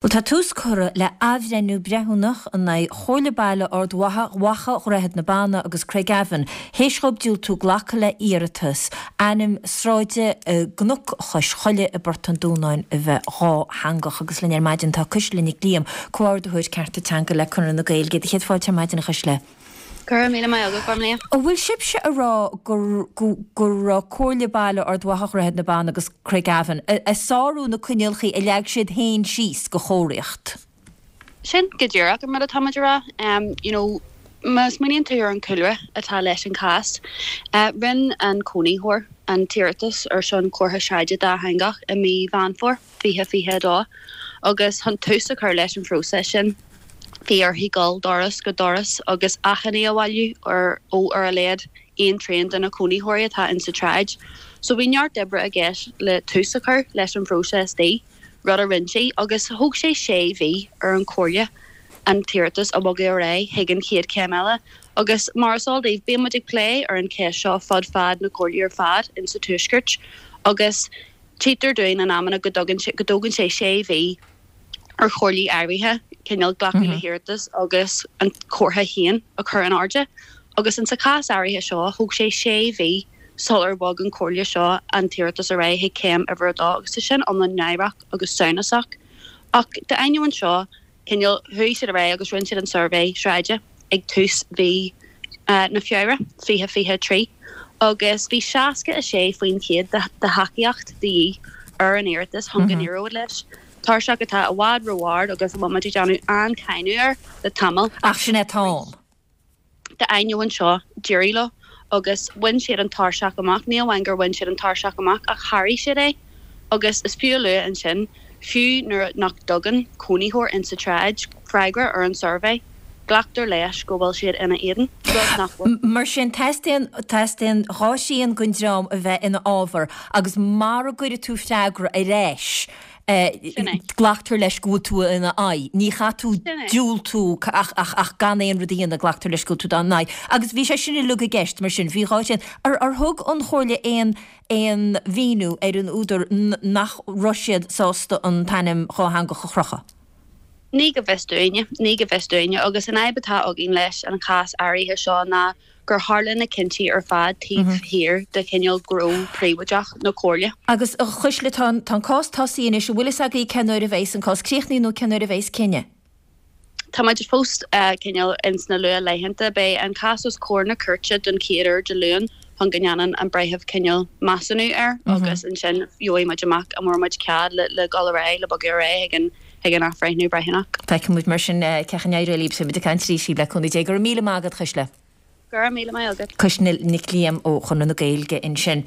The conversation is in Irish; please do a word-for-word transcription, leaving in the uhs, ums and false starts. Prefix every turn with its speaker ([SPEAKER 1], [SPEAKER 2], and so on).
[SPEAKER 1] Bhuel, tá tús curtha le athbhreithniú breithiúnach in aghaidh Chomhairle Baile Ard Mhacha, Dhroichead na Banna agus Craigavon, théis dhóibh diúltú glacadh le hiarratas ainm sráide i gCnoc Chois Choille i bPort an Dúnáin a bheith dhátheangach. Agus linn ar maidin tá Cuisle Nic Liam, Comhordaitheoir Cearta Teanga le Conradh na Gaeilge. Céad fáilte ar maidin, a Chuisle.
[SPEAKER 2] Go raibh míle maith agat, Gormlaith.
[SPEAKER 1] An bhfuil sibhse ag rá go go raibh Comhairle Baile Ard Mhacha, Dhroichead na Banna agus Craigavon ag sárú na coinníollacha a leag siad féin síos go chomharthaíocht?
[SPEAKER 2] Sin go díreach an rud atá muid a rá. You know, má smaoiníonn tú ar an cúlra atá leis an cás, rinne an cónaitheoir an t-iarratas ar son comhartha sráide dátheangach i mí Mheán Fómhair fiche fiche a dó agus chun tús a chur leis an phróiseas sin, Bhí uirthi dul doras go doras agus achainí a bhailiú ar ó ar a laghad aon trian de na cónaitheoirí atá insa tsráid. So bhí neart oibre i gceist le tús a chur leis an phróiseas di, rud a rinne sí, agus thóg sé sé mhí ar an chomhairle an t-iarratas a bhogadh ar aghaidh chuig an chéad chéim eile. Agus mar is eol daoibh, bíonn muid ag plé ar an cheist seo fud fad na comhairlí ar fad insa Tuaisceart agus tchítear dúinn in amanna go dtugann sé go dtógann sé sé mhí ar chomhairlí áirithe cineál glacadh le hiarratas agus an comhartha féin a chur in airde agus in sa chás áirithe seo thóg sé sé mhí sular bhog an chomhairle seo an t-iarratas ar aghaidh chuig céim uimhir a dó agus tá sin iomlán náireach agus samhnasach. Ach d'ainneoin seo, cineál, chuaigh siad ar aghaidh agus rinne siad an suirbhé sráide ag tús mhí na Feabhra fiche fiche a trí agus bhí seasca a sé faoin chéad de thacaíocht de dhíth ar an iarratas chun go n-éireodh leis. Tairseach atá i bhfad ró-ard agus a bhfuil muid ag déanamh an-cháineadh air le tamall.
[SPEAKER 1] Ach sin é atá ann.
[SPEAKER 2] D'ainneoin seo, d'éirigh leo agus bhain siad an tairseach amach. Ní amháin gur bhain siad an tairseach amach ach sháraigh siad é agus is fiú a lua ansin, fiú nuair nach dtugann cónaitheoir insa tsráid freagra ar an suirbhé, glactar leis go bhfuil siad ina éadan, rud nach bhfuil.
[SPEAKER 1] Mar sin, teastaíonn, teastaíonn dhá thrian den dream a bheith ina fhábhar agus mara gcuirfidh tú freagra ar ais,
[SPEAKER 2] Sin é.
[SPEAKER 1] glactar leis go bhfuil tú ina aghaidh. Ní chaithfidh tú
[SPEAKER 2] Sin é.
[SPEAKER 1] diúltú ach, ach, ach gan aon rud a dhéanamh, glactar leis go bhfuil tú dá n-aghaidh. Agus bhí sé sin uilig i gceist, mar sin, bhí dhá thrian. Ar, ar thug an Chomhairle aon, aon mhíniú ar an údar nach raibh siad sásta an t-ainm dhátheangach a chrochadh?
[SPEAKER 2] Ní go bhfios dúinne, ní go bhfios dúinne, agus an fhadhb atá againn leis an chás áirithe seo ná gur tharla na cinntí ar fad taobh thiar de chineál gnó príobháideach na Comhairle.
[SPEAKER 1] Agus, a Chuisle, tá an, tá an cás tosaithe anois, an bhfuil fhios agaibh cén uair a bheas an cás críochnaithe nó cén uair a bheas cinneadh?
[SPEAKER 2] Tá muid fós cineál ins na luath-laethanta. Beidh an cás os comhair na cúirte don chéad uair Dé Luain chun go ndéanann an breitheamh cineál measúnú air agus ansin gheobhaidh muid amach an bhfuair muid cead le le dul ar aghaidh, le bogadh ar aghaidh chuig an chuig an athbhreithniú breithiúnach.
[SPEAKER 1] Feicfidh muid mar sin cén chaoi a n-éireoidh libh. Beidh muid ag caint arís libh le cúnamh Dé. Go raibh míle maith agat, Cuisle.
[SPEAKER 2] Go raibh míle maith agat.
[SPEAKER 1] Cuisle Nic Liam ó Chonradh na Gaeilge ansin.